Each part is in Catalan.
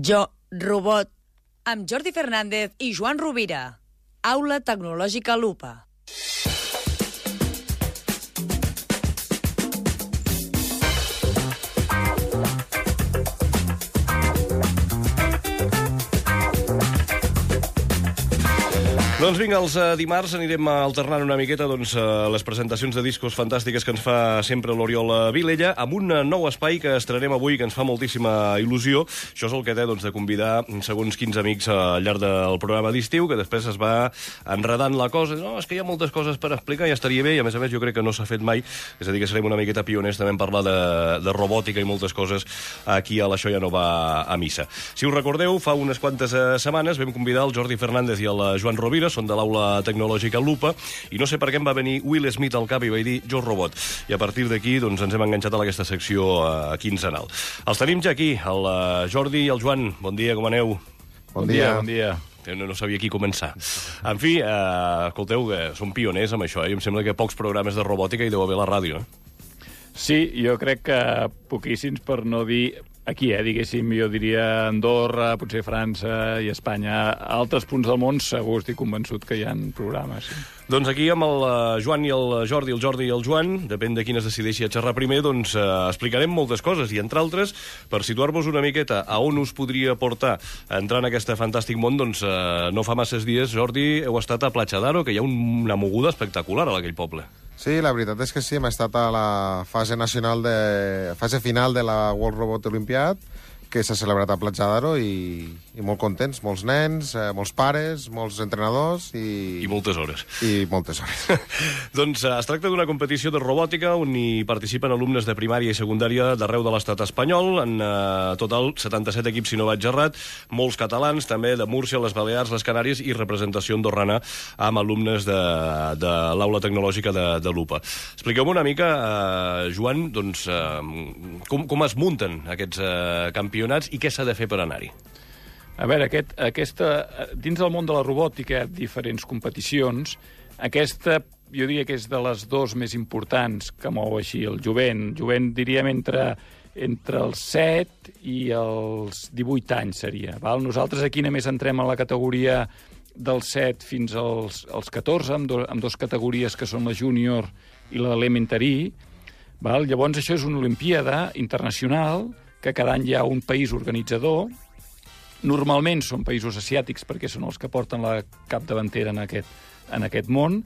Jo, Robot, amb Jordi Fernández i Joan Rovira. Aula Tecnològica Lupa. Doncs vinga, els dimarts anirem alternant una miqueta les presentacions de discos fantàstiques que ens fa sempre l'Oriol Vilella, amb un nou espai que estrenem avui, que ens fa moltíssima il·lusió. Això és el que té de convidar segons quins amics al llarg del programa d'estiu, que després es va enredant la cosa. No, és que hi ha moltes coses per explicar, ja estaria bé, i a més jo crec que no s'ha fet mai. És a dir, que serem una miqueta pioners també en parlar de robòtica i moltes coses aquí a l'Això ja no va a missa. Si us recordeu, fa unes quantes setmanes vam convidar el Jordi Fernández i el Joan Rovira, són de l'Aula Tecnològica Lupa, i no sé per què em va venir Will Smith al cap i vaig dir Jo Robot. I a partir d'aquí ens hem enganxat a aquesta secció quinzenal. Els tenim ja aquí, el Jordi i el Joan. Bon dia, com aneu? Bon dia. Bon dia. No sabia qui començar. En fi, escolteu, que som pioners amb això, i em sembla que pocs programes de robòtica hi deu haver a la ràdio. Sí, jo crec que poquíssims, per no dir aquí, diguéssim, jo diria Andorra, potser França i Espanya. A altres punts del món segur, estic convençut que hi ha programes. Sí. Doncs aquí amb el Joan i el Jordi i el Joan, depèn de quin es decideixi a xerrar primer, explicarem moltes coses, i entre altres, per situar-vos una miqueta a on us podria portar a entrar en aquest fantàstic món, no fa masses dies, Jordi, heu estat a Platja d'Aro, que hi ha una moguda espectacular a aquell poble. Sí, la veritat és que sí, hem estat a la fase final de la World Robot Olympiad, que s'ha celebrat a Platja d'Aro, i molt contents, molts nens, molts pares, molts entrenadors i moltes hores. I moltes hores. Doncs es tracta d'una competició de robòtica on hi participen alumnes de primària i secundària d'arreu de l'estat espanyol, en total 77 equips, si no vaig errat, molts catalans, també de Múrcia, les Balears, les Canàries, i representació andorrana amb alumnes de l'Aula Tecnològica de Lupa. Expliqueu-me una mica, Joan, com es munten aquests campionats i què s'ha de fer per anar-hi? A veure, dins del món de la robòtica hi ha diferents competicions. Aquesta, jo diria que és de les dues més importants que mou així el jovent. Jovent, diríem, entre els 7 i els 18 anys seria. Val? Nosaltres aquí només entrem a la categoria dels 7 fins als 14, amb dues categories que són la júnior i l'elementary. Llavors, això és una olimpiada internacional que cada any hi ha un país organitzador. Normalment són països asiàtics perquè són els que porten la capdavantera en aquest món.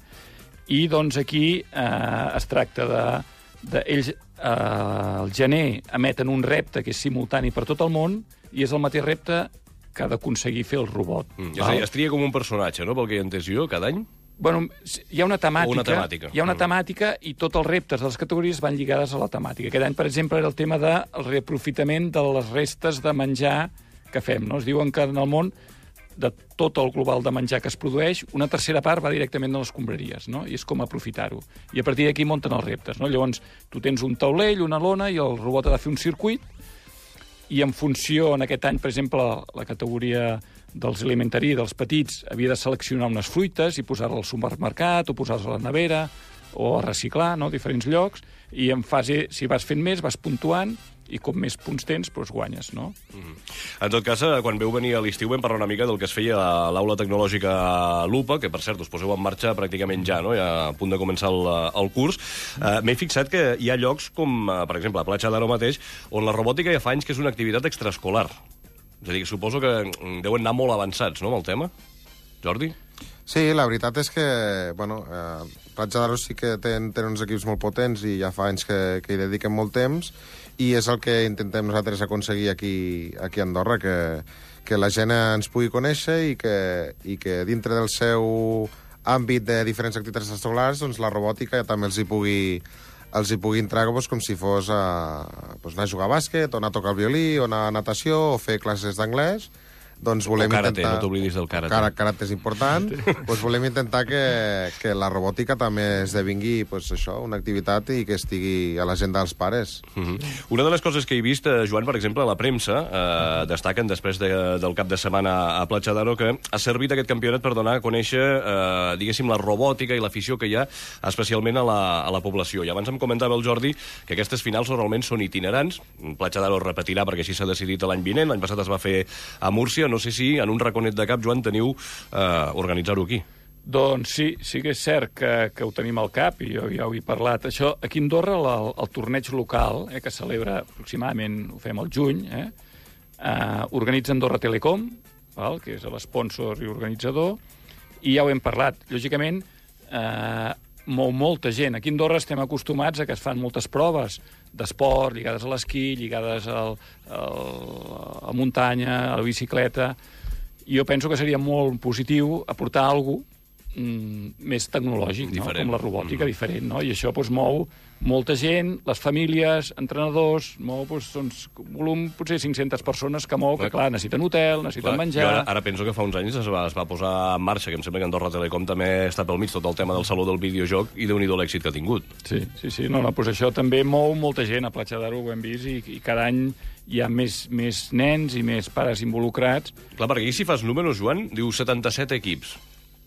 I doncs aquí es tracta ells al gener emeten un repte que és simultani per tot el món i és el mateix repte que ha d'aconseguir fer el robot. És a dir, es tria com un personatge, no?, pel que he entès jo, cada any? Bueno, hi ha una temàtica. Hi ha una temàtica i tots els reptes de les categories van lligades a la temàtica. Aquest any, per exemple, era el tema del reaprofitament de les restes de menjar que fem. No? Es diuen que en el món, de tot el global de menjar que es produeix, una tercera part va directament a les escombraries, no? I és com aprofitar-ho. I a partir d'aquí munten els reptes. No? Llavors, tu tens un taulell, una lona, i el robot ha de fer un circuit, i en funció, en aquest any, per exemple, la categoria dels elementary, dels petits, havia de seleccionar unes fruites i posar-les al supermercat o posar-les a la nevera o a reciclar, no?, a diferents llocs, i en fase, si vas fent més, vas puntuant, i com més punts tens, doncs guanyes, no? En tot cas, quan veu venir a l'estiu vam parlar una mica del que es feia a l'Aula Tecnològica Lupa, que, per cert, us poseu en marxa pràcticament ja, no?, ja a punt de començar el curs. M'he fixat que hi ha llocs com, per exemple, a Platja d'Aro mateix, on la robòtica ja fa anys que és una activitat extraescolar. És a dir, suposo que deuen anar molt avançats, no?, amb el tema. Jordi? Sí, la veritat és que, Platja d'Aro sí que tenen uns equips molt potents i ja fa anys que hi dediquen molt temps, i és el que intentem nosaltres aconseguir aquí a Andorra, que la gent ens pugui conèixer i que dintre del seu àmbit de diferents activitats extraescolars, doncs la robòtica també els hi pugui entrar com si fos anar a jugar a bàsquet, o anar a tocar el violí, o anar a natació, o fer classes d'anglès. doncs volem karate, intentar... no t'oblidis del karate. Karate és important. Doncs volem intentar que la robòtica també esdevingui això, una activitat i que estigui a l'agenda dels pares. Una de les coses que he vist, Joan, per exemple, a la premsa, destaquen després del cap de setmana a Platja d'Aro que ha servit aquest campionat per donar a conèixer, diguéssim, la robòtica i l'afició que hi ha, especialment a la població. I abans em comentava el Jordi que aquestes finals normalment són itinerants. Platja d'Aro repetirà perquè així s'ha decidit l'any vinent. L'any passat es va fer a Múrcia. No sé si en un raconet de cap, Joan, teniu organitzar-ho aquí. Doncs sí que és cert que ho tenim al cap, i jo ja ho he parlat. Això, aquí a Andorra, el torneig local, que es celebra aproximadament, ho fem al juny, organitza Andorra Telecom, que és l'espònsor i organitzador, i ja ho hem parlat. Lògicament, mou molta gent. Aquí a Andorra estem acostumats a que es fan moltes proves d'esport, lligades a l'esquí, lligades a muntanya, a la bicicleta. I jo penso que seria molt positiu aportar alguna cosa més tecnològic, no? Com la robòtica, diferent, no? I això mou molta gent, les famílies, entrenadors, mou un volum, potser 500 persones que mou, que clar, necessiten hotel, necessiten menjar... Ara penso que fa uns anys es va posar en marxa, que em sembla que Andorra Telecom també està pel mig, tot el tema del saló del videojoc, i déu-n'hi-do l'èxit que ha tingut. Sí. No, doncs això també mou molta gent, a Platja d'Aro ho hem vist, i cada any hi ha més nens i més pares involucrats. Clar, perquè aquí si fas números, Joan, diu 77 equips.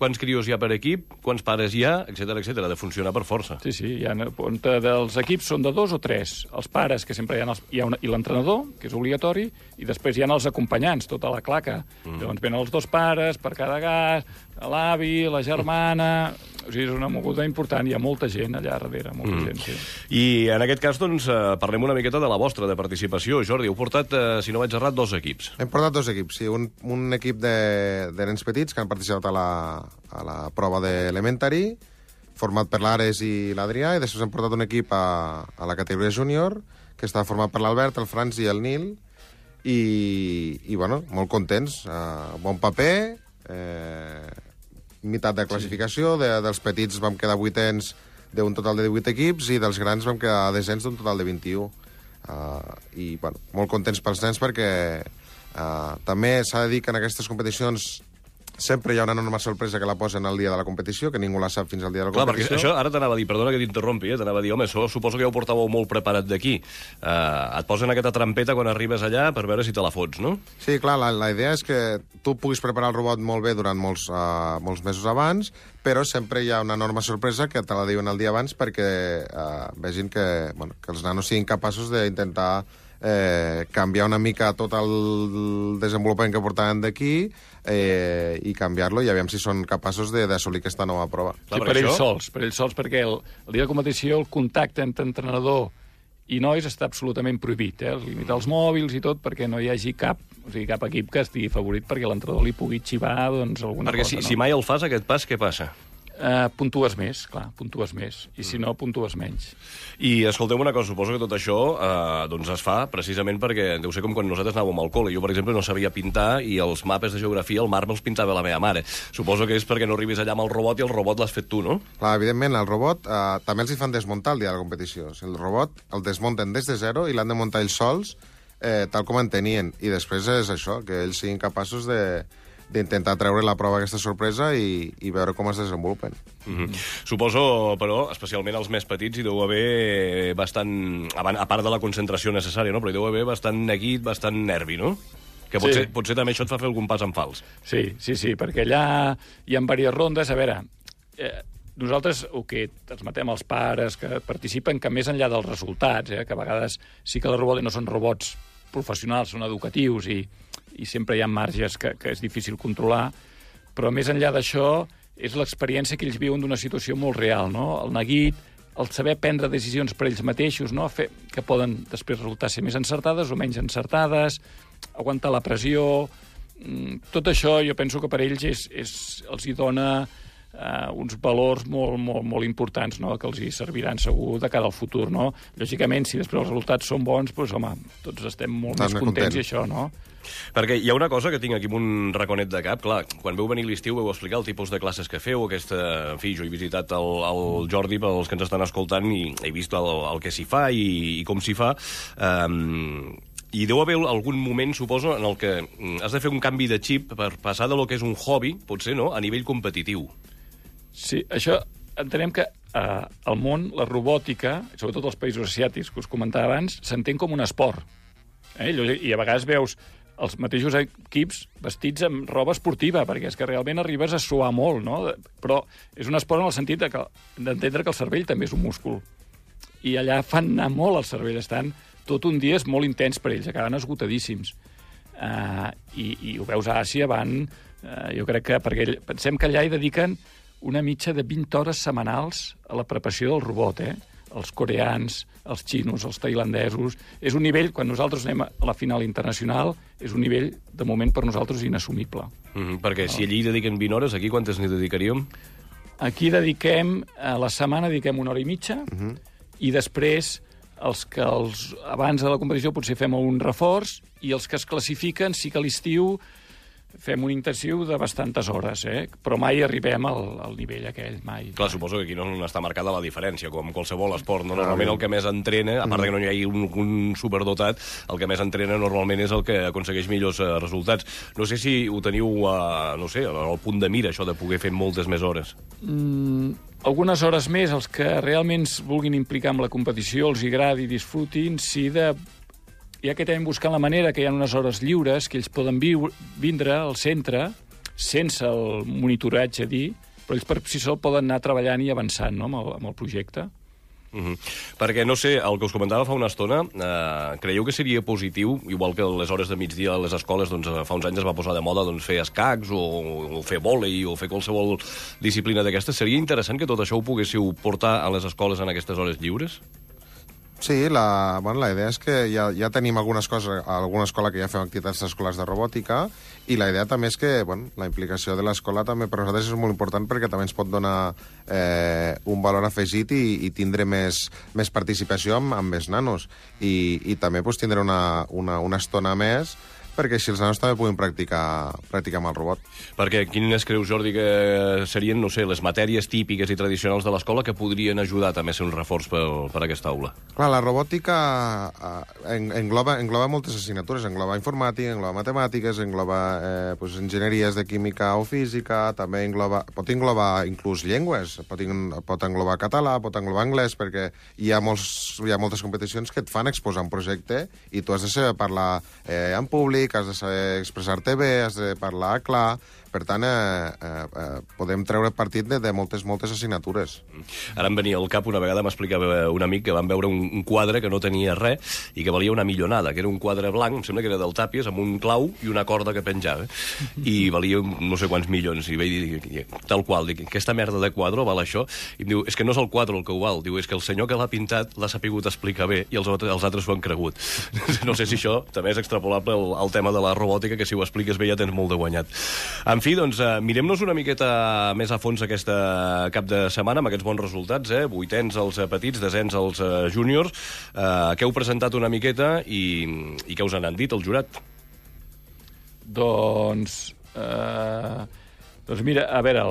Quants crios hi ha per equip, quants pares hi ha, etcètera, etcètera. Ha de funcionar per força. Sí, dels equips són de 2 o 3. Els pares, que sempre hi ha i l'entrenador, que és obligatori, i després hi ha els acompanyants, tota la claca. Llavors venen els 2 pares per cada gas, l'avi, la germana... O sigui, és una moguda important, hi ha molta gent allà darrere, molta gent, sí. I en aquest cas, doncs, parlem una miqueta de la vostra, de participació. Jordi, heu portat, si no vaig errat, 2 equips. Hem portat 2 equips, sí. Un equip de nens petits que han participat a la prova d'Elementary, format per l'Ares i l'Adrià, i després hem portat un equip a la categoria júnior, que està format per l'Albert, el Franz i el Nil, i bueno, molt contents. Bon paper, meitat de classificació, dels petits vam quedar 8ens d'un total de 18 equips i dels grans vam quedar 10ens d'un total de 21. I, bueno, molt contents pels nens perquè també s'ha de dir que en aquestes competicions sempre hi ha una enorme sorpresa que la posen al dia de la competició, que ningú la sap fins al dia de la competició. Clar, perquè això ara t'anava a dir, perdona que t'interrompi, t'anava a dir, home, això suposo que ja ho portàveu molt preparat d'aquí. Et posen aquesta trampeta quan arribes allà per veure si te la fots, no? Sí, clar, la idea és que tu puguis preparar el robot molt bé durant molts mesos abans, però sempre hi ha una enorme sorpresa que te la diuen el dia abans perquè vegin que els nanos siguin capaços d'intentar canviar una mica tot el desenvolupament que portaven d'aquí i canviar-lo i aviam si són capaços d'assolir aquesta nova prova. Sí, per ells sols, perquè el dia de competició el contacte entre entrenador i nois està absolutament prohibit, limitar els mòbils i tot perquè no hi hagi cap equip que estigui favorit perquè l'entrenador li pugui xivar alguna cosa. Perquè si mai el fas, aquest pas, què passa? Puntues més, clar, puntues més. I si no, puntues menys. I escolteu una cosa, suposo que tot això doncs es fa precisament perquè deu ser com quan nosaltres anàvem al col·le. Jo, per exemple, no sabia pintar i els mapes de geografia, el mar me'ls pintava la meva mare. Suposo que és perquè no arribis allà amb el robot i el robot l'has fet tu, no? Clar, evidentment, el robot també els hi fan desmuntar el dia de la competició. O sigui, el robot el desmunten des de zero i l'han de muntar ells sols, tal com en tenien. I després és això, que ells siguin capaços d'intentar treure la prova aquesta sorpresa i veure com es desenvolupen. Suposo, però, especialment els més petits, hi deu haver bastant, a part de la concentració necessària, no? Però hi deu haver bastant neguit, bastant nervi, no? Que potser també això et fa fer algun pas en fals. Sí, perquè allà hi ha diverses rondes. A veure, nosaltres el que transmetem als pares que participen, que més enllà dels resultats, que a vegades sí que els robots no són robots professionals, són educatius i sempre hi ha marges que és difícil controlar, però més enllà d'això és l'experiència que ells viuen d'una situació molt real, no? El neguit, el saber prendre decisions per ells mateixos, no? Que poden després resultar ser més encertades o menys encertades, aguantar la pressió... Tot això jo penso que per ells els hi dona uns valors molt importants, no? Que els hi serviran segur de cara al futur, no? Lògicament, si després els resultats són bons, doncs, home, tots estem molt més contents i això, no? Perquè hi ha una cosa que tinc aquí amb un raconet de cap. Clar, quan veu venir l'estiu veu explicar el tipus de classes que feu, en fi, jo he visitat el Jordi pels que ens estan escoltant i he vist el que s'hi fa i com s'hi fa. I deu haver algun moment, suposo, en el que has de fer un canvi de xip per passar de lo que és un hobby, potser, no?, a nivell competitiu. Sí, això entenem que al món la robòtica, sobretot als països asiàtics que us comentava abans, s'entén com un esport. I a vegades veus els mateixos equips vestits amb roba esportiva, perquè és que realment arribes a suar molt, no? Però és un esport en el sentit d'entendre que el cervell també és un múscul. I allà fan anar molt al cervell, estan tot un dia és molt intens per ells, acaben esgotadíssims. I ho veus a Àsia, jo crec que, perquè pensem que allà hi dediquen una mitja de 20 hores setmanals a la preparació del robot, Els coreans, els xinos, els tailandesos. És un nivell, quan nosaltres anem a la final internacional, és un nivell, de moment, per nosaltres, inassumible. Perquè si allí hi dediquen 20 hores, aquí quantes n'hi dedicaríem? Aquí a la setmana dediquem 1 hora i mitja, i després abans de la competició potser fem un reforç, i els que es classifiquen sí que a l'estiu fem un intensiu de bastantes hores, però mai arribem al nivell aquell, mai. Clar, suposo que aquí no està marcada la diferència, com qualsevol esport. No? Normalment el que més entrena, a part que no hi hagi un superdotat, el que més entrena normalment és el que aconsegueix millors resultats. No sé si ho teniu, al punt de mira, això de poder fer moltes més hores. Algunes hores més, els que realment es vulguin implicar amb la competició, els agradi i disfrutin, ja que també buscant la manera que hi ha unes hores lliures que ells poden vindre al centre sense el monitoratge però ells per si sol poden anar treballant i avançant, no?, amb el projecte. Perquè, no sé, el que us comentava fa una estona, creieu que seria positiu, igual que les hores de migdia a les escoles, doncs fa uns anys es va posar de moda fer escacs o fer vòlei o fer qualsevol disciplina d'aquestes, seria interessant que tot això ho poguéssiu portar a les escoles en aquestes hores lliures? Sí, la idea és que ja tenim alguna escola que ja fem activitats escolars de robòtica, i la idea també és que la implicació de l'escola també per nosaltres és molt important, perquè també ens pot donar un valor afegit i tindre més participació amb més nanos, i també tindre una estona més perquè així els nanos també puguin practicar amb el robot. Perquè quines creus, Jordi, que serien, no sé, les matèries típiques i tradicionals de l'escola que podrien ajudar també a ser un reforç per aquesta aula? Clar, la robòtica engloba moltes assignatures, engloba informàtica, engloba matemàtiques, engloba enginyeries de química o física, també pot englobar inclús llengües, pot englobar català, pot englobar anglès, perquè hi ha moltes competicions que et fan exposar un projecte i tu has de saber parlar en públic, has de saber expressar-te bé, has de parlar clar. Per tant, podem treure partit de moltes assignatures. Ara em venia al cap, una vegada m'explicava un amic que van veure un quadre que no tenia res i que valia una millonada, que era un quadre blanc, em sembla que era del Tàpies, amb un clau i una corda que penjava. I valia no sé quants milions. I vaig dir, tal qual, dic, aquesta merda de quadre val això? I em diu, és que no és el quadre el que ho val, diu, és que el senyor que l'ha pintat l'ha sapigut explicar bé i els altres ho han cregut. No sé si això també és extrapolable al tema de la robòtica, que si ho expliques bé ja tens molt de guanyat. En fi, doncs, mirem-nos una miqueta més a fons aquesta cap de setmana amb aquests bons resultats, 8ens als petits, 10ens als júniors. Què heu presentat una miqueta i què us han dit el jurat? Doncs mira, a veure,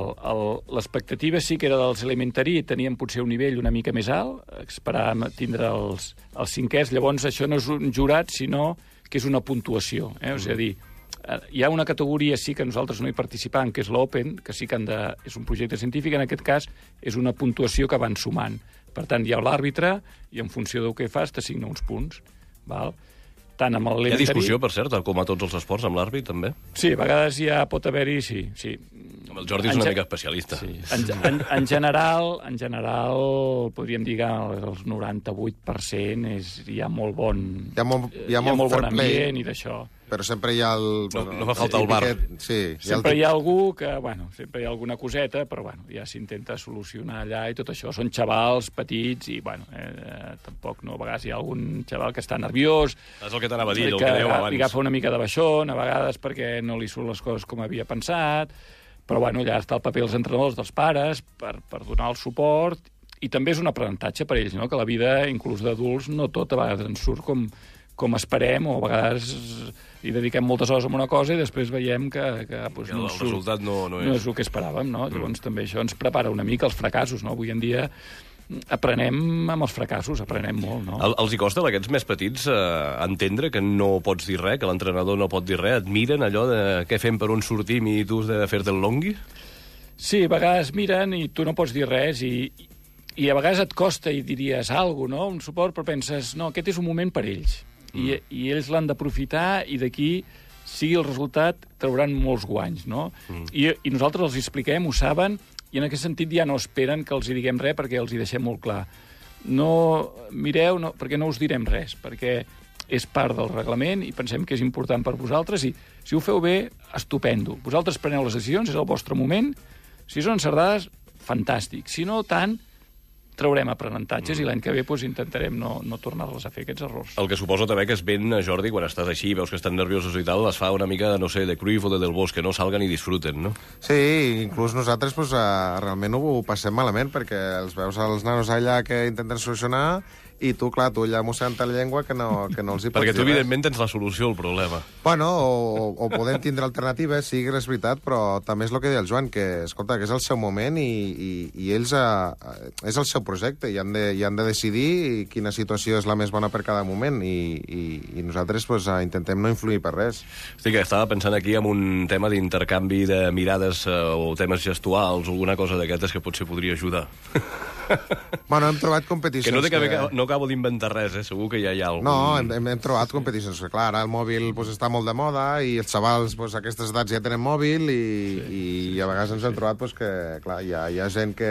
l'expectativa sí que era dels elementary, tenien potser un nivell una mica més alt, esperàvem tindre els cinquers, llavors això no és un jurat, sinó que és una puntuació, és a dir, hi ha una categoria sí que nosaltres no hi participam, que és l'Open, que sí que és un projecte científic, en aquest cas és una puntuació que van sumant. Per tant, hi ha l'àrbitre i en funció del que fas t'assigna uns punts. Val? Tant amb hi ha discussió, per cert, com a tots els esports, amb l'àrbit, també? Sí, a vegades pot haver-hi, sí. El Jordi és una mica especialista. Sí. En general, podríem dir que el 98% hi ha molt bon... Hi ha molt bon ambient i d'això. Però sempre hi ha no fa falta el bar. Sí, sempre hi ha algú que, sempre hi ha alguna coseta, però, ja s'intenta solucionar allà i tot això. Són xavals petits i, tampoc no. A vegades hi ha algun xaval que està nerviós. És el que t'anava a dir, el que dèieu abans. Li agafa una mica de baixón, a vegades perquè no li surt les coses com havia pensat, però, allà està el paper dels entrenadors, dels pares, per donar el suport, i també és un aprenentatge per ells, no? Que la vida, inclús d'adults, no tot a vegades ens surt com esperem, o a vegades hi dediquem moltes hores a una cosa i després veiem que el resultat no és el que esperàvem, no? Llavors també això ens prepara una mica els fracassos, no? Avui en dia aprenem amb els fracassos, aprenem molt, no? Els hi costa, a aquests més petits, entendre que no pots dir res, que l'entrenador no pot dir res? Et miren allò de què fem, per on sortim i tu has de fer-te el longui? Sí, a vegades miren i tu no pots dir res i a vegades et costa i diries alguna cosa, no? Un suport, però penses, no, aquest és un moment per ells. I ells l'han d'aprofitar i d'aquí, sigui el resultat, trauran molts guanys, no? I nosaltres els expliquem, ho saben, i en aquest sentit ja no esperen que els hi diguem res perquè els hi deixem molt clar. No mireu, perquè no us direm res, perquè és part del reglament i pensem que és important per vosaltres i si ho feu bé, estupendo. Vosaltres preneu les decisions, és el vostre moment. Si són encertades, fantàstic. Si no, tant, traurem aprenentatges i l'any que ve intentarem no tornar-les a fer, aquests errors. El que suposo també que és ben, Jordi, quan estàs així, veus que estan nerviosos i tal, es fa una mica, no sé, de Cruyff o de Del Bosque, que no salguen i disfruten, no? Sí, inclús nosaltres realment ho passem malament, perquè els veus als nanos allà que intenten solucionar i tu, clar, tu allà mossegant la llengua que no els hi pots perquè tu, dir evidentment, tens la solució al problema. Bueno, o podem tindre alternatives, sí que és veritat, però també és el que deia el Joan, que, escolta, que és el seu moment i ells és el seu projecte i han de decidir quina situació és la més bona per cada moment i nosaltres intentem no influir per res. Estic, estava pensant aquí en un tema d'intercanvi de mirades o temes gestuals o alguna cosa d'aquestes que potser podria ajudar. Bueno, hem trobat competicions... Que no acabo d'inventar res, segur que ja hi ha algun... No, hem trobat competicions, que clar, ara el mòbil està molt de moda i els xavals a aquestes edats ja tenen mòbil i a vegades ens hem trobat que, clar, hi ha gent que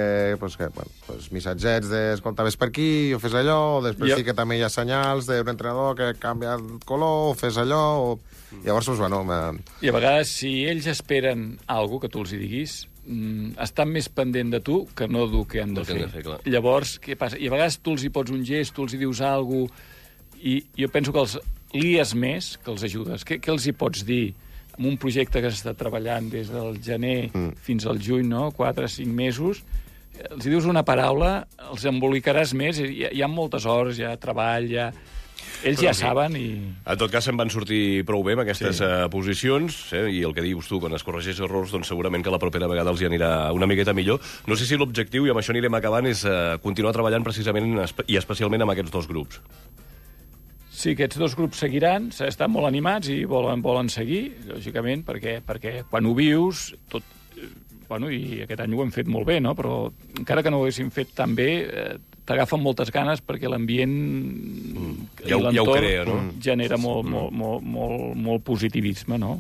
missatgets de, escolta, ves per aquí, o fes allò, o després sí que també hi ha senyals d'un entrenador que canvia el color, o fes allò, o... Llavors, bueno... I a vegades, si ells esperen alguna que tu els hi diguis, estan més pendent de tu que no del que han de fer. Llavors, què passa? I a vegades tu els hi pots un gest, tu els hi dius alguna cosa, i jo penso que els lies més que els ajudes. Què els hi pots dir en un projecte que s'està treballant des del gener fins al juny, no? 4 o 5 mesos, els hi dius una paraula, els embolicaràs més, hi ha moltes hores, hi ha treball, ells ja saben i... En tot cas, se'n van sortir prou bé amb aquestes posicions, i el que dius tu, quan es corregeix errors, doncs segurament que la propera vegada els hi anirà una miqueta millor. No sé si l'objectiu, i amb això anirem acabant, és continuar treballant precisament i especialment amb aquests dos grups. Sí, aquests dos grups seguiran, estan molt animats i volen seguir, lògicament, perquè quan ho vius, tot... Bueno, i aquest any ho hem fet molt bé, no? Però encara que no ho haguéssim fet tan bé, t'agafen moltes ganes perquè l'ambient i l'entorn genera molt positivisme, no?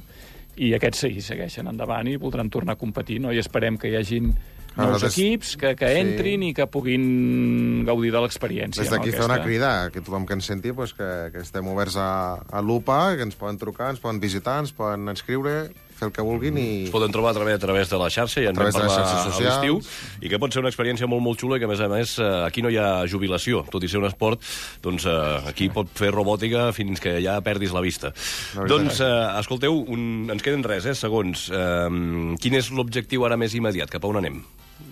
I aquests segueixen endavant i voldran tornar a competir, no? I esperem que hi hagin nous equips que entrin i que puguin gaudir de l'experiència. Des d'aquí fer una crida, que tothom que ens senti que estem oberts a l'UPA, que ens poden trucar, ens poden visitar, ens poden inscriure, fer el que vulguin i... Es poden trobar a través de la xarxa, ja en vam parlar a l'estiu, i que pot ser una experiència molt, molt xula i que, a més, aquí no hi ha jubilació. Tot i ser un esport, doncs aquí pot fer robòtica fins que ja perdis la vista. Doncs, escolteu, ens queden segons. Quin és l'objectiu ara més immediat? Cap a on anem?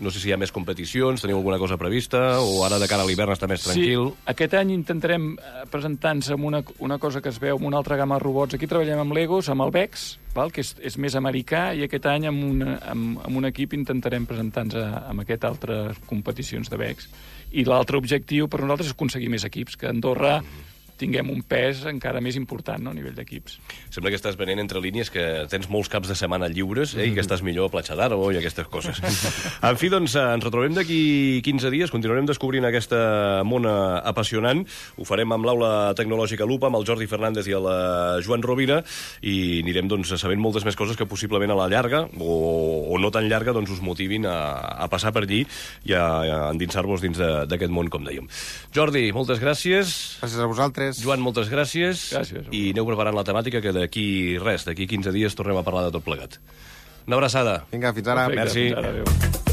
No sé si hi ha més competicions, teniu alguna cosa prevista, o ara de cara a l'hivern està més tranquil? Sí, aquest any intentarem presentar-nos amb una cosa que es veu, amb una altra gamma de robots. Aquí treballem amb Legos, amb el VEX, que és més americà, i aquest any amb un equip intentarem presentar-nos amb aquestes altres competicions de VEX. I l'altre objectiu per nosaltres és aconseguir més equips, que Andorra tinguem un pes encara més important, no?, a nivell d'equips. Sembla que estàs venent entre línies que tens molts caps de setmana lliures i que estàs millor a Platja d'Aro i aquestes coses. En fi, doncs, ens retrobem d'aquí 15 dies, continuarem descobrint aquesta mona apassionant. Ho farem amb l'Aula Tecnològica Lupa, amb el Jordi Fernández i el Joan Rovira, i anirem sabent moltes més coses que possiblement a la llarga, o no tan llarga, doncs us motivin a passar per allí i a endinsar-vos dins d'aquest món, com dèiem. Jordi, moltes gràcies. Gràcies a vosaltres. Joan, moltes gràcies. Gràcies. I aneu preparant la temàtica, que d'aquí 15 dies tornem a parlar de tot plegat. Una abraçada. Vinga, fins ara. Perfecte, merci. Fins ara, adéu.